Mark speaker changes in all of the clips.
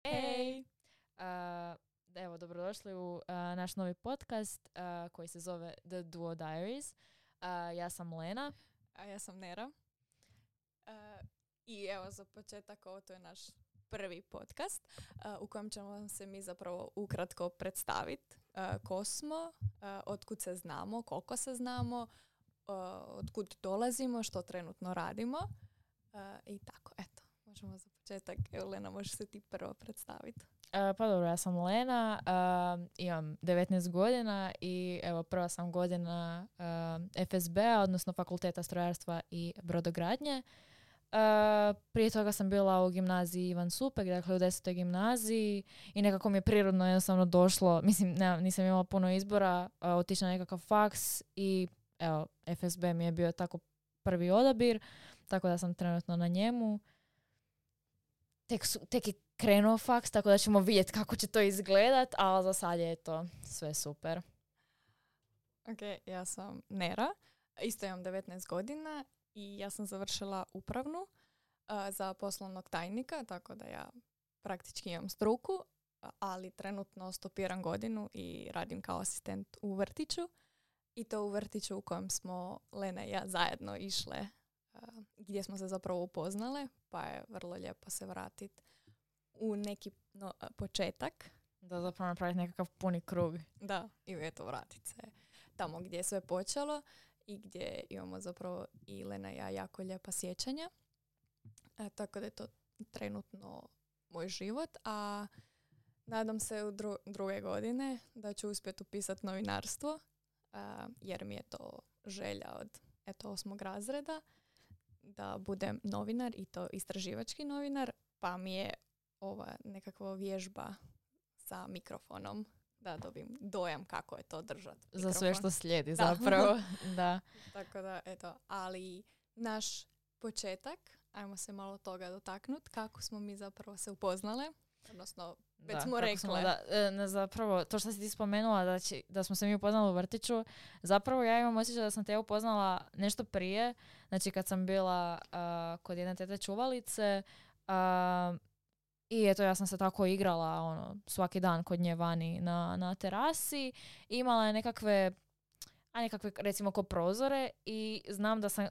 Speaker 1: Hej! Evo, dobrodošli u naš novi podcast koji se zove The Duo Diaries. Ja sam Lena.
Speaker 2: A ja sam Nera. I evo za početak, ovo to je naš prvi podcast u kojem ćemo vam se mi zapravo ukratko predstaviti ko smo, otkud se znamo, koliko se znamo, otkud dolazimo, što trenutno radimo i tako, eto. Možemo za početak, evo Lena, možeš se ti prvo predstaviti.
Speaker 1: Pa dobro, ja sam Lena, imam 19 godina i evo prva sam godina FSB-a, odnosno Fakulteta strojarstva i brodogradnje. Prije toga sam bila u gimnaziji Ivan Supek, dakle u 10. gimnaziji i nekako mi je prirodno jednostavno došlo, mislim nisam imala puno izbora, otići na nekakav faks i evo FSB mi je bio tako prvi odabir, tako da sam trenutno na njemu. Tek je krenuo faks, tako da ćemo vidjeti kako će to izgledat, ali za sad je to sve super.
Speaker 2: Ok, ja sam Nera, isto imam 19 godina i ja sam završila upravnu za poslovnog tajnika, tako da ja praktički imam struku, ali trenutno stopiram godinu i radim kao asistent u vrtiću. I to u vrtiću u kojem smo Lena i ja zajedno išle, gdje smo se zapravo upoznale, pa je vrlo lijepo se vratiti u neki početak.
Speaker 1: Da zapravo napraviti nekakav puni krug.
Speaker 2: Da, i eto vratiti se tamo gdje je sve počelo i gdje imamo zapravo i Lena i ja jako lijepa sjećanja. Tako da je to trenutno moj život, a nadam se u druge godine da ću uspjeti upisati novinarstvo, jer mi je to želja od 8. razreda da budem novinar i to istraživački novinar, pa mi je ova nekakva vježba sa mikrofonom da dobijem dojam kako je to držati mikrofon.
Speaker 1: Za sve što slijedi zapravo. Da.
Speaker 2: Tako da, eto, ali naš početak, ajmo se malo toga dotaknuti, kako smo mi zapravo se upoznale, odnosno već smo rekle.
Speaker 1: Zapravo, to što si ti spomenula da smo se mi upoznali u vrtiću, zapravo ja imam osjećaj da sam te upoznala nešto prije, znači kad sam bila kod jedne tete čuvalice, i eto, ja sam se tako igrala svaki dan kod nje vani na terasi. Imala je nekakve recimo ko prozore i znam da sam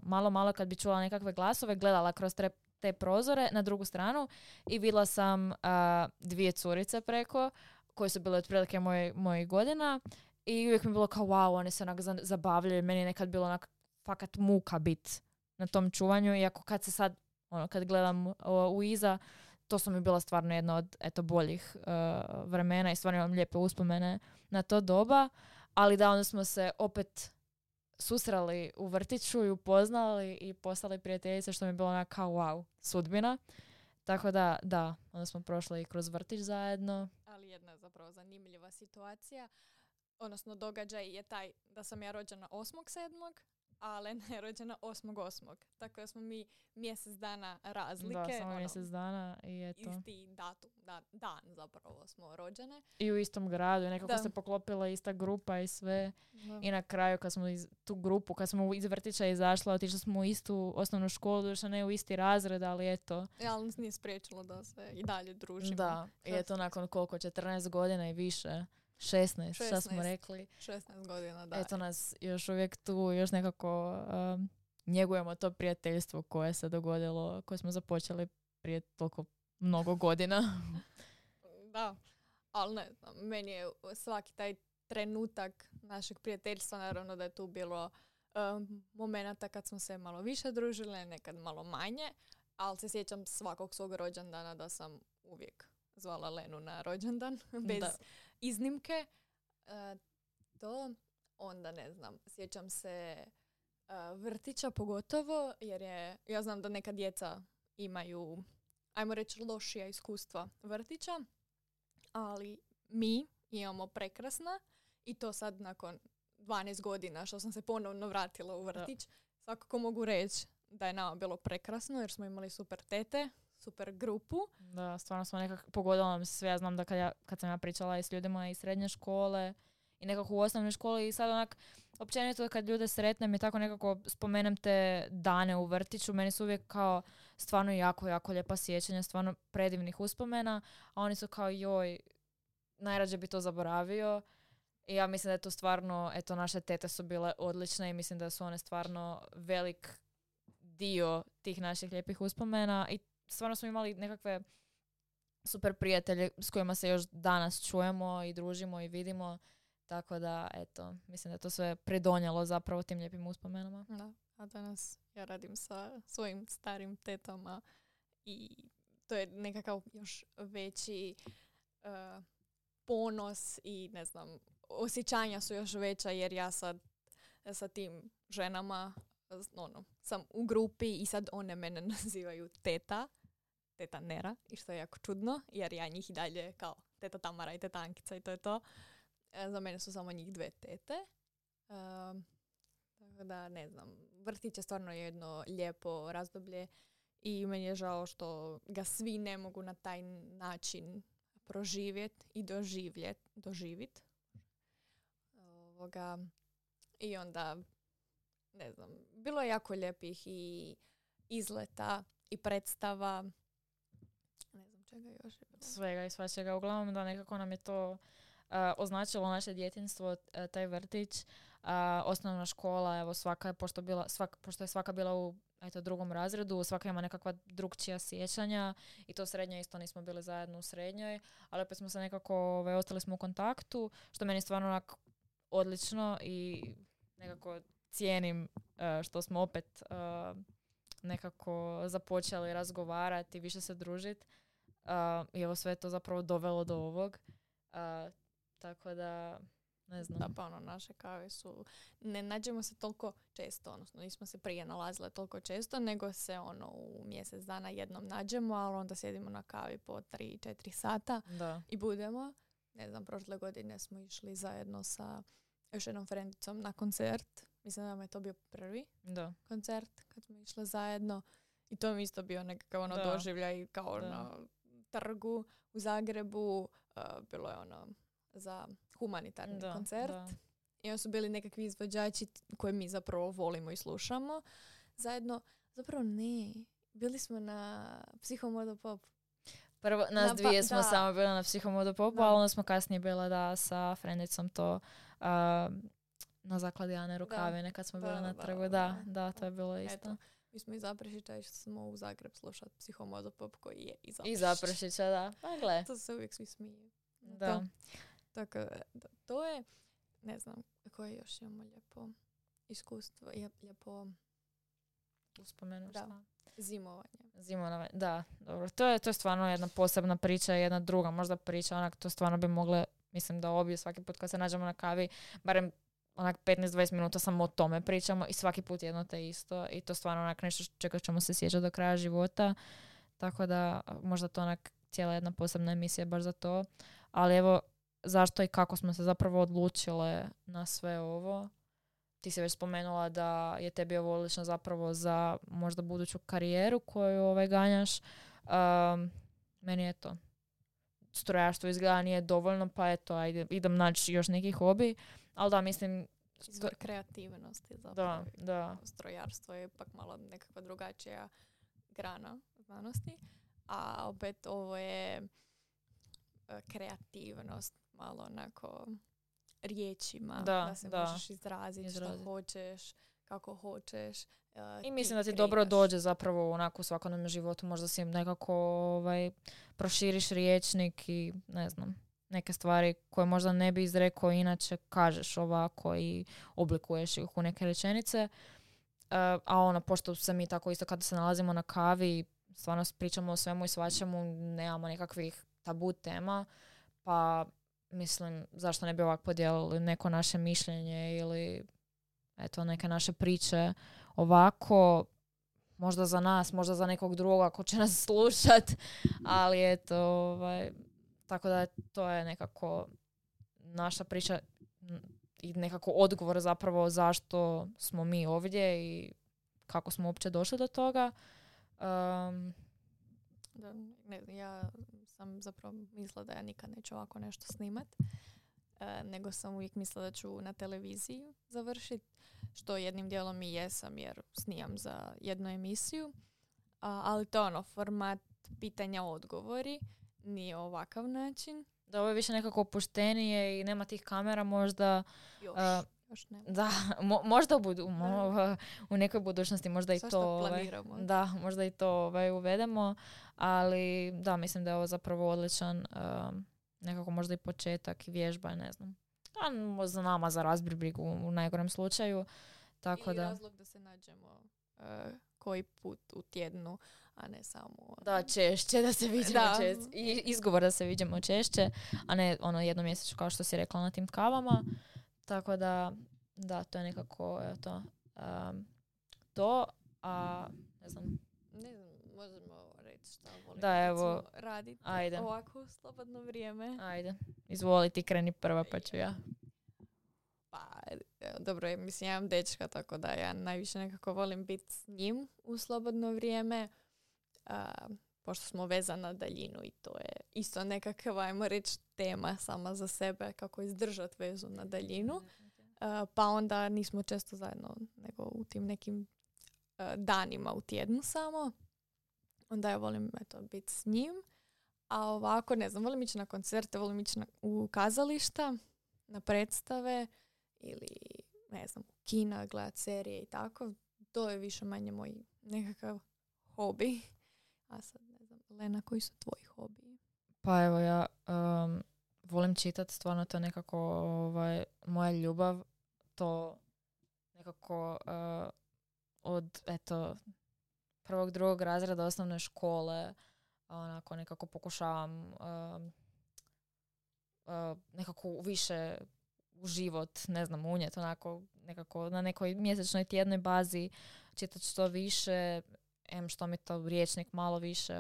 Speaker 1: malo kad bi čula nekakve glasove gledala kroz te prozore na drugu stranu i vidjela sam dvije curice preko koje su bile otprilike mojih godina i uvijek mi je bilo kao wow, one se onak zabavljaju. Meni je nekad bilo onak fakat muka bit na tom čuvanju, iako kad se sad kad gledam u iza, to su mi bila stvarno jedna od boljih vremena i stvarno imam lijepe uspomene na to doba, ali da, onda smo se opet susreli u vrtiću i upoznali i postali prijateljice, što mi je bilo onako kao wow, sudbina. Tako da, onda smo prošli kroz vrtić zajedno.
Speaker 2: Ali jedna je zapravo zanimljiva situacija, odnosno događaj je taj da sam ja rođena 8.7., a Lena je rođena 8.8. Tako da smo mi mjesec dana razlike.
Speaker 1: Da, samo mjesec dana i eto.
Speaker 2: Isti datum, dan zapravo smo rođene.
Speaker 1: I u istom gradu, nekako se poklopila ista grupa i sve. Da. I na kraju kad smo kad smo iz vrtića izašla, otišli smo u istu osnovnu školu, došla ne u isti razred, ali eto.
Speaker 2: Ali nas nije spriječilo da se i dalje družimo.
Speaker 1: Da, i eto nakon koliko, 14 godina i više. 16, šta smo rekli.
Speaker 2: 16 godina, da.
Speaker 1: Eto nas još uvijek tu, još nekako njegujemo to prijateljstvo koje se dogodilo, koje smo započeli prije toliko mnogo godina.
Speaker 2: Da, ali ne znam, meni je svaki taj trenutak našeg prijateljstva, naravno da je tu bilo momenata kad smo se malo više družile, nekad malo manje, ali se sjećam svakog svog rođendana da sam uvijek zvala Lenu na rođendan, bez iznimke. To onda ne znam, sjećam se vrtića pogotovo, jer ja znam da neka djeca imaju, ajmo reći, lošija iskustva vrtića, ali mi imamo prekrasna i to sad nakon 12 godina što sam se ponovno vratila u vrtić, svakako mogu reći da je nama bilo prekrasno jer smo imali super tete, super grupu.
Speaker 1: Da, stvarno smo nekako pogodilo nam sve. Ja znam da kad sam ja pričala i s ljudima iz srednje škole i nekako u osnovnoj školi i sad onak općenito kad ljude sretnem i tako nekako spomenem te dane u vrtiću, meni su uvijek kao stvarno jako, jako lijepa sjećanja, stvarno predivnih uspomena, a oni su kao joj, najrađe bi to zaboravio. I ja mislim da je to stvarno, eto, naše tete su bile odlične i mislim da su one stvarno velik dio tih naših lijepih uspomena i stvarno smo imali nekakve super prijatelje s kojima se još danas čujemo i družimo i vidimo. Tako da, eto, mislim da je to sve pridonijelo zapravo tim lijepim uspomenama.
Speaker 2: Da, a danas ja radim sa svojim starim tetama i to je nekakav još veći ponos i ne znam, osjećanja su još veća jer ja sad sa tim ženama sam u grupi i sad one mene nazivaju teta Nera i što je jako čudno jer ja njih i dalje kao teta Tamara i teta Ankica i to je to. Za mene su samo njih 2 tete. Tako da ne znam, vrtić je stvarno jedno lijepo razdoblje i meni je žao što ga svi ne mogu na taj način proživjeti i doživjeti. I onda, ne znam, bilo je jako lijepih i izleta i predstava. Ne znam čega još je bilo.
Speaker 1: Svega i svačega. Uglavnom da nekako nam je to označilo naše djetinjstvo, taj vrtić. Osnovna škola, evo pošto je svaka bila u drugom razredu, svaka ima nekakva drugčija sjećanja i to srednje isto nismo bili zajedno u srednjoj, ali opet smo se nekako, ostali smo u kontaktu, što meni stvarno onak odlično i nekako cijenim što smo opet nekako započeli razgovarati i više se družiti. I evo sve je to zapravo dovelo do ovog. Tako da, ne znam.
Speaker 2: Da, pa naše kave su, ne nađemo se toliko često, odnosno nismo se prije nalazile toliko često, nego se u mjesec dana jednom nađemo, ali onda sjedimo na kavi po 3-4 sata i budemo. Ne znam, prošle godine smo išli zajedno sa još jednom frendicom na koncert. Mislim da nam je to bio prvi koncert kad smo išli zajedno i to mi isto bio nekakav doživljaj kao na trgu u Zagrebu. Bilo je za humanitarni koncert. I oni su bili nekakvi izvođači koje mi zapravo volimo i slušamo. Zajedno, zapravo ne. Bili smo na Psihomodo Pop.
Speaker 1: Prvo, nas dvije smo samo bili na Psihomodo Popu, ali onda smo kasnije bila sa frendicom to na zakladi Ane Rukavine kad smo bili na trgu. Da, to je bilo isto.
Speaker 2: Eto, mi smo iz Zaprešića i smo u Zagreb slušati Psihomodo Pop koji je
Speaker 1: iz Zaprešića, da. Pa gle.
Speaker 2: To se uvijek svi smije.
Speaker 1: Da.
Speaker 2: Tako, to je, ne znam, koje još imamo lijepo iskustvo, lijepo
Speaker 1: uspomenu.
Speaker 2: Da,
Speaker 1: zimovanje. Da, dobro. To je stvarno jedna posebna priča, jedna druga možda priča, onak to stvarno bi mogle, mislim da obje svaki put kad se nađemo na kavi, barem onak 15-20 minuta samo o tome pričamo i svaki put jedno te isto i to stvarno onak nešto čega ćemo se sjećati do kraja života. Tako da možda to onak cijela jedna posebna emisija baš za to. Ali evo, zašto i kako smo se zapravo odlučile na sve ovo? Ti si već spomenula da je tebi ovo odlično zapravo za možda buduću karijeru koju ganjaš. Meni je to strojarstvo izgleda nije dovoljno, pa eto, ajde, idem naći još neki hobi. Ali da, mislim...
Speaker 2: Izvor kreativnosti zapravo.
Speaker 1: Da.
Speaker 2: Strojarstvo je ipak malo nekakva drugačija grana znanosti. A opet ovo je kreativnost, malo onako riječima, da se možeš izraziti što hoćeš, kako hoćeš.
Speaker 1: I mislim da ti dobro dođe zapravo onako u svakodnevnom životu, možda si nekako proširiš riječnik i ne znam, neke stvari koje možda ne bi izrekao inače kažeš ovako i oblikuješ ih u neke rečenice. A pošto se mi tako isto kada se nalazimo na kavi stvarno pričamo o svemu i svačemu, nemamo nekakvih tabu tema, pa mislim zašto ne bi ovako podijelili neko naše mišljenje ili eto neke naše priče ovako, možda za nas, možda za nekog drugog ako će nas slušat, ali eto, tako da to je nekako naša priča i nekako odgovor zapravo zašto smo mi ovdje i kako smo uopće došli do toga.
Speaker 2: Ja sam zapravo mislila da ja nikad neću ovako nešto snimat. nego sam uvijek mislila da ću na televiziji završiti, što jednim dijelom i jesam jer snijam za jednu emisiju. Ali to je format pitanja odgovori, nije ovakav način.
Speaker 1: Da, ovo je više nekako opuštenije i nema tih kamera možda.
Speaker 2: Još nema.
Speaker 1: Da, možda u nekoj budućnosti možda i to
Speaker 2: planiramo.
Speaker 1: Da, možda i to uvedemo, ali da, mislim da je ovo zapravo odličan nekako možda i početak i vježba, ne znam. A za nama za razbir brigu u najgorem slučaju. Tako
Speaker 2: i razlog da se nađemo koji put u tjednu, a ne samo...
Speaker 1: Da, češće da se vidimo češće. I izgovor da se vidimo češće, a ne jednomjesečno kao što si rekla na tim kavama. Tako da, to je nekako to. A ne znam,
Speaker 2: možemo reći šta volim raditi ovako u slobodno vrijeme.
Speaker 1: Ajde, izvoli ti, kreni prva pa ću ja.
Speaker 2: Pa, dobro je, mislim, ja imam dečka, tako da ja najviše nekako volim biti s njim u slobodno vrijeme, pošto smo vezani na daljinu i to je isto nekakav, ajmo reći, tema sama za sebe, kako izdržati vezu na daljinu. Pa onda nismo često zajedno, nego u tim nekim danima u tjednu samo. Onda ja volim biti s njim. A ovako, ne znam, volim ići na koncerte, volim ići u kazališta, na predstave ili, ne znam, u kina, gledat serije i tako. To je više manje moj nekakav hobi. A sad, ne znam, Lena, koji su tvoji hobiji?
Speaker 1: Pa evo, ja volim čitati, stvarno to je nekako moja ljubav. To nekako od, prvog, drugog razreda osnovne škole onako nekako pokušavam nekako više u život, ne znam, unijeti onako nekako na nekoj mjesečnoj tjednoj bazi čitati što više, što mi to riječnik malo više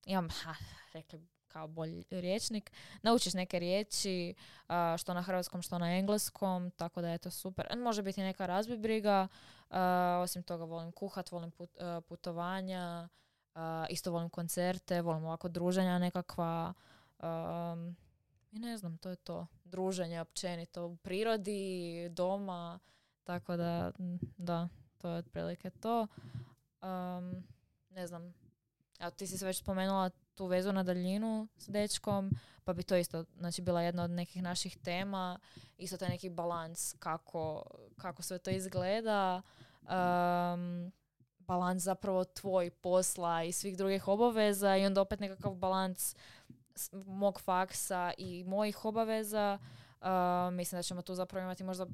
Speaker 1: imam, rekli kao bolji riječnik, naučiš neke riječi, što na hrvatskom, što na engleskom, tako da je to super. Može biti neka razbibriga, osim toga volim kuhat, volim putovanja, isto volim koncerte, volim ovako druženja nekakva, i ne znam, to je to. Druženje općenito u prirodi, doma, tako da, to je otprilike to. Ne znam, ti si se već spomenula tu vezu na daljinu s dečkom, pa bi to isto bila jedna od nekih naših tema. Isto taj neki balans kako sve to izgleda. Balans zapravo tvoj posla i svih drugih obaveza i onda opet nekakav balans mog faksa i mojih obaveza. Mislim da ćemo tu zapravo imati možda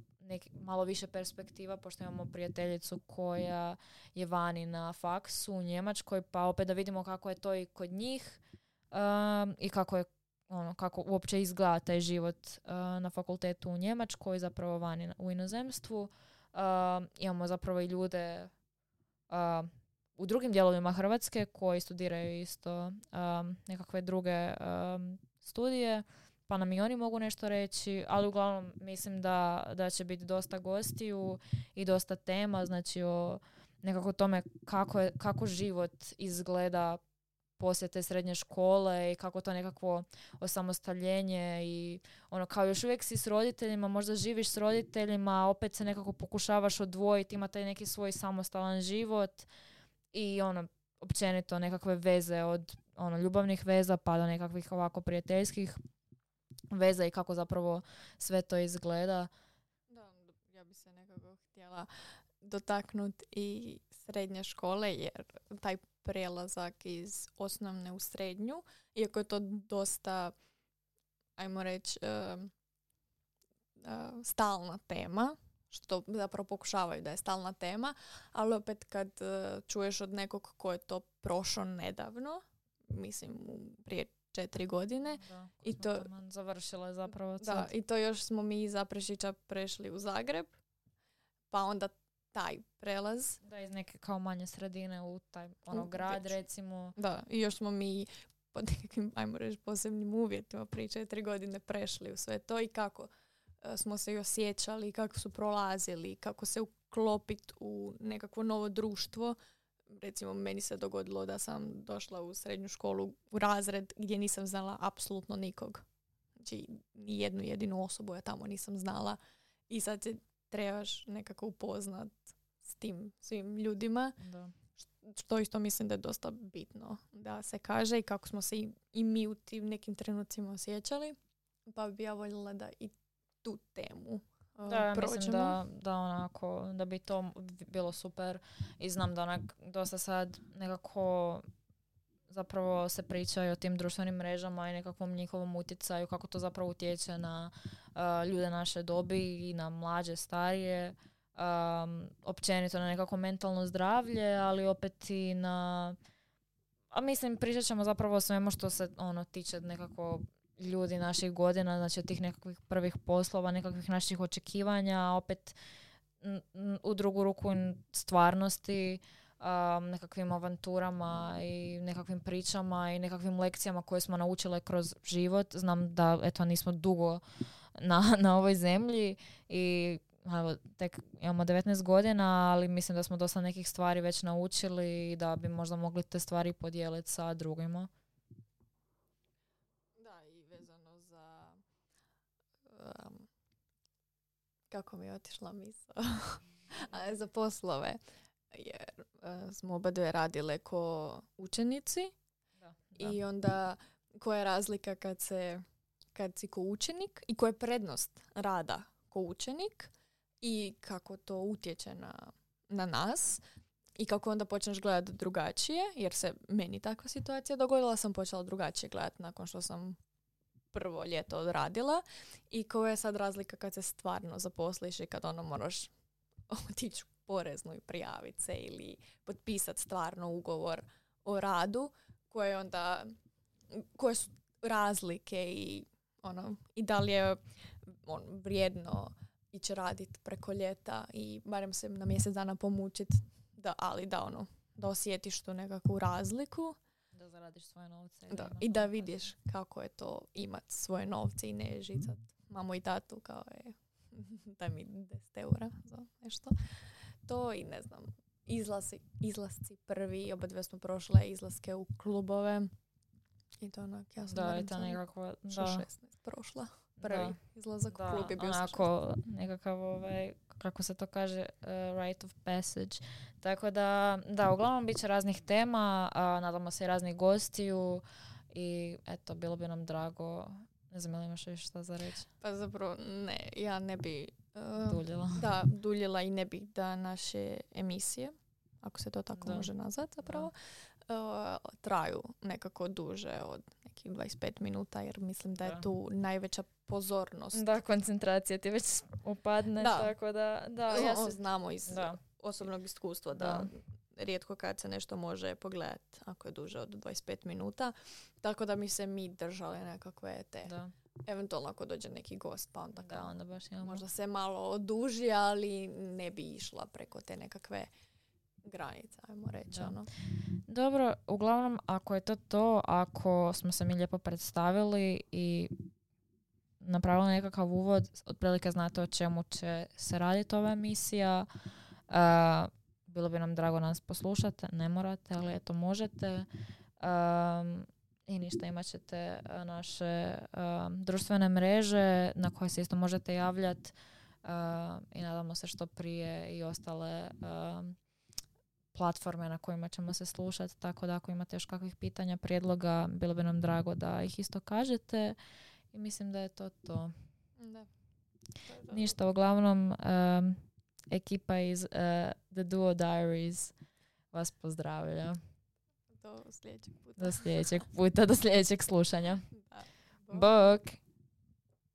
Speaker 1: malo više perspektiva, pošto imamo prijateljicu koja je vani na faksu u Njemačkoj, pa opet da vidimo kako je to i kod njih i kako uopće izgleda taj život na fakultetu u Njemačkoj, zapravo vani u inozemstvu. Imamo zapravo i ljude u drugim dijelovima Hrvatske koji studiraju isto nekakve druge studije, pa nam i oni mogu nešto reći, ali uglavnom mislim da će biti dosta gostiju i dosta tema, znači o nekako tome kako život izgleda poslije te srednje škole i kako to nekakvo osamostaljenje i kao još uvijek si s roditeljima, možda živiš s roditeljima, opet se nekako pokušavaš odvojiti, ima taj neki svoj samostalan život i općenito nekakve veze od ljubavnih veza pa do nekakvih ovako prijateljskih veza i kako zapravo sve to izgleda.
Speaker 2: Da, ja bi se nekako htjela dotaknuti i srednje škole, jer taj prelazak iz osnovne u srednju, iako je to dosta, ajmo reći, stalna tema, što zapravo pokušavaju da je stalna tema, ali opet kad čuješ od nekog ko je to prošao nedavno, mislim prije 4 godine.
Speaker 1: Da, i to završila je zapravo.
Speaker 2: Da, i to još smo mi iz Zaprešića prešli u Zagreb, pa onda taj prelaz.
Speaker 1: Da, iz neke kao manje sredine u taj grad recimo.
Speaker 2: Da, i još smo mi pod nekakvim, ajmo reći, posebnim uvjetima prije 4 godine prešli u sve to i kako smo se i osjećali, kako su prolazili, kako se uklopiti u nekakvo novo društvo recimo meni se dogodilo da sam došla u srednju školu u razred gdje nisam znala apsolutno nikog. Znači, ni jednu jedinu osobu ja tamo nisam znala i sad se trebaš nekako upoznat s tim svim ljudima.
Speaker 1: Da.
Speaker 2: Što isto mislim da je dosta bitno da se kaže i kako smo se i mi u tim nekim trenucima osjećali. Pa bi ja voljela da i tu temu
Speaker 1: Da,
Speaker 2: prođemo.
Speaker 1: mislim da onako, da bi to bilo super i znam da onak dosta sad nekako zapravo se priča i o tim društvenim mrežama i nekakvom njihovom utjecaju, kako to zapravo utječe na ljude naše dobi i na mlađe, starije, općenito na nekako mentalno zdravlje, ali opet i na... A mislim, pričat ćemo zapravo o svemu što se tiče nekako ljudi naših godina, znači tih nekakvih prvih poslova, nekakvih naših očekivanja, opet u drugu ruku stvarnosti, nekakvim avanturama i nekakvim pričama i nekakvim lekcijama koje smo naučile kroz život. Znam da nismo dugo na ovoj zemlji i tek imamo 19 godina, ali mislim da smo dosta nekih stvari već naučili i da bi možda mogli te stvari podijeliti sa drugima.
Speaker 2: Da, i vezano za kako mi je otišla misao za poslove, jer smo oba dve radile ko učenici. Da. I onda koja je razlika kad si ko učenik i koja je prednost rada ko učenik i kako to utječe na nas i kako onda počneš gledati drugačije, jer se meni takva situacija dogodila, sam počela drugačije gledati nakon što sam prvo ljeto odradila i koja je sad razlika kad se stvarno zaposliš i kad moraš otići u poreznu i prijaviti se ili potpisati stvarno ugovor o radu, koje su razlike i da li je vrijedno ići raditi preko ljeta i barem se na mjesec dana pomučiti, da osjetiš tu nekakvu razliku.
Speaker 1: Da zaradiš svoje novce.
Speaker 2: I da vidiš kako je to imati svoje novce i ne žicat mamu i tatu kao je daj mi 10 eura za nešto. To i ne znam, izlasci prvi, oba dve smo prošle izlaske u klubove. I to ja sam
Speaker 1: nekako,
Speaker 2: 16 prošla. Prvi izlazak u klub je bio
Speaker 1: onako nekakav kako se to kaže, rite of passage. Tako da, uglavnom bit će raznih tema, nadamo se i raznih gostiju i eto, bilo bi nam drago. Ne znam, ili imaš još šta za reći?
Speaker 2: Pa zapravo ne, ja ne bi
Speaker 1: duljila.
Speaker 2: Duljila i ne bi da naše emisije, ako se to tako može nazvati zapravo, traju nekako duže od nekih 25 minuta, jer mislim da je tu najveća pozornost.
Speaker 1: Da, koncentracija ti već upadne, tako da
Speaker 2: znamo iz osobnog iskustva da rijetko kad se nešto može pogledati ako je duže od 25 minuta. Tako da mi se držali nekakve te. Da. Eventualno ako dođe neki gost, pa onda
Speaker 1: baš
Speaker 2: možda se malo oduži, ali ne bi išla preko te nekakve granice, ajmo reći.
Speaker 1: Dobro, uglavnom, ako je to, ako smo se mi lijepo predstavili i napravili nekakav uvod, otprilike znate o čemu će se raditi ova emisija. Bilo bi nam drago nas poslušati, ne morate, ali eto možete. I ništa, imat ćete naše društvene mreže na koje se isto možete javljati i nadamo se što prije i ostale platforme na kojima ćemo se slušati, tako da ako imate još kakvih pitanja, prijedloga, bilo bi nam drago da ih isto kažete i mislim da je to.
Speaker 2: Da.
Speaker 1: Ništa, uglavnom ekipa iz The Duo Diaries vas pozdravlja.
Speaker 2: Do sljedećeg puta.
Speaker 1: Do sljedećeg puta, do sljedećeg slušanja. Bok!